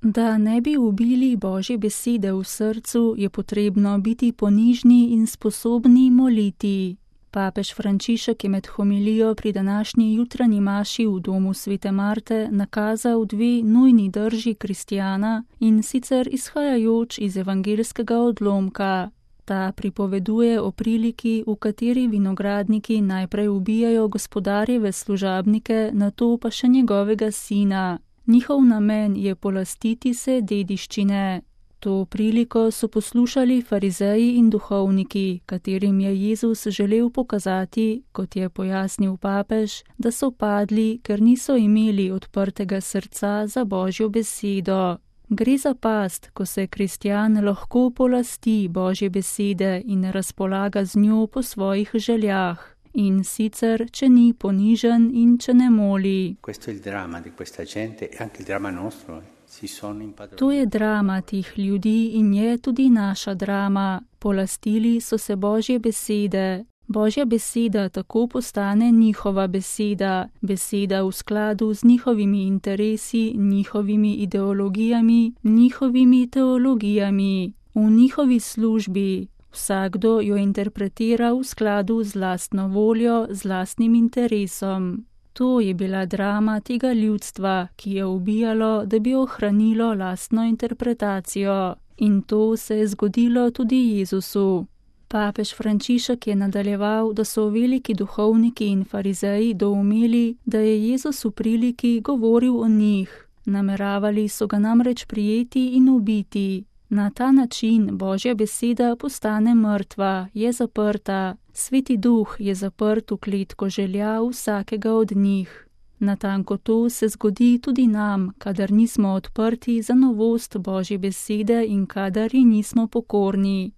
Da ne bi ubili Božje besede v srcu, je potrebno biti ponižni in sposobni moliti. Papež Frančišek je med homilijo pri današnji jutranji maši v domu Svete Marte nakazal dve nujni drži kristjana, in sicer izhajajoč iz evangeljskega odlomka. Ta pripoveduje o priliki, v kateri vinogradniki najprej ubijajo gospodarjeve služabnike, nato pa še njegovega sina. Njihov namen je polastiti se dediščine. To priliko so poslušali farizeji in duhovniki, katerim je Jezus želel pokazati, kot je pojasnil papež, da so padli, ker niso imeli odprtega srca za Božjo besedo. Gre za past, ko se kristjan lahko polasti Božje besede in razpolaga z njo po svojih željah. In sicer, če ni ponižen in če ne moli. To je drama teh ljudi in je tudi naša drama. Polastili so se Božje besede. Božja beseda tako postane njihova beseda, beseda v skladu z njihovimi interesi, njihovimi ideologijami, njihovimi teologijami, v njihovi službi. Vsakdo jo interpretira v skladu z lastno voljo, z lastnim interesom. To je bila drama tega ljudstva, ki je ubijalo, da bi ohranilo lastno interpretacijo. In to se je zgodilo tudi Jezusu. Papež Frančišek je nadaljeval, da so veliki duhovniki in farizeji doumeli, da je Jezus v priliki govoril o njih. Nameravali so ga namreč prijeti in ubiti. Na ta način Božja beseda postane mrtva, je zaprta. Sveti Duh je zaprt v kletko želja vsakega od njih. Natanko to se zgodi tudi nam, kadar nismo odprti za novost Božje besede in kadar ji nismo pokorni.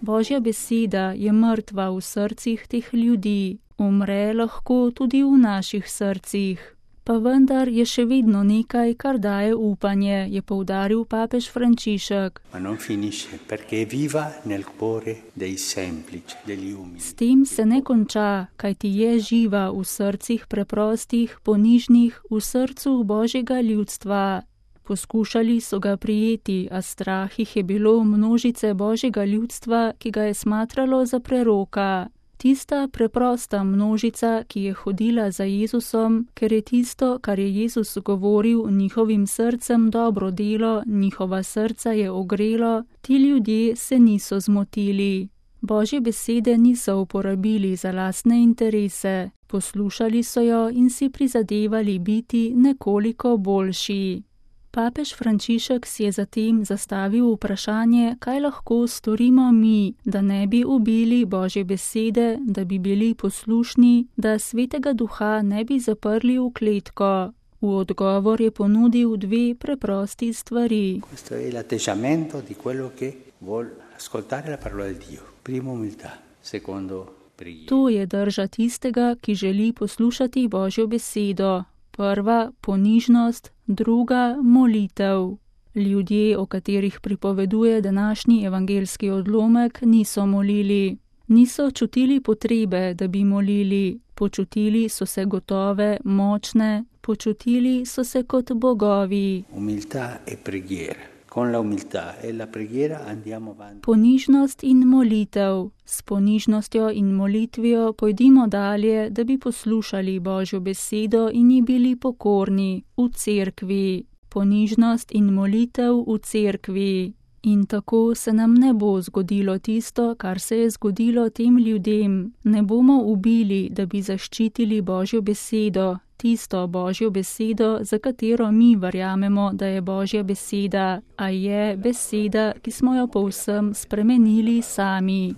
Božja beseda je mrtva v srcih teh ljudi, umre lahko tudi v naših srcih. Pa vendar je še vedno nekaj, kar daje upanje, je poudaril papež Frančišek. S tem se ne konča, kajti je živa v srcih preprostih, ponižnih, v srcu Božjega ljudstva. Poskušali so ga prijeti, a strah jih je bilo množice Božjega ljudstva, ki ga je smatralo za preroka. Tista preprosta množica, ki je hodila za Jezusom, ker je tisto, kar je Jezus govoril njihovim srcem dobro delo, njihova srca je ogrelo, ti ljudje se niso zmotili. Božje besede niso uporabili za lastne interese, poslušali so jo in si prizadevali biti nekoliko boljši. Papež Frančišek si je zatem zastavil vprašanje, kaj lahko storimo mi, da ne bi ubili Božje besede, da bi bili poslušni, da Svetega Duha ne bi zaprli v kletko. V odgovor je ponudil dve preprosti stvari. To je drža tistega, ki želi poslušati Božjo besedo. Prva ponižnost, druga molitev. Ljudje, o katerih pripoveduje današnji evangeljski odlomek, niso molili. Niso čutili potrebe, da bi molili. Počutili so se gotove, močne, počutili so se kot bogovi. Ponižnost in molitev. S ponižnostjo in molitvijo pojdimo dalje, da bi poslušali Božjo besedo in ji bili pokorni v cerkvi. Ponižnost in molitev v cerkvi. In tako se nam ne bo zgodilo tisto, kar se je zgodilo tem ljudem. Ne bomo ubili, da bi zaščitili Božjo besedo, tisto Božjo besedo, za katero mi verjamemo, da je Božja beseda, a je beseda, ki smo jo povsem spremenili sami.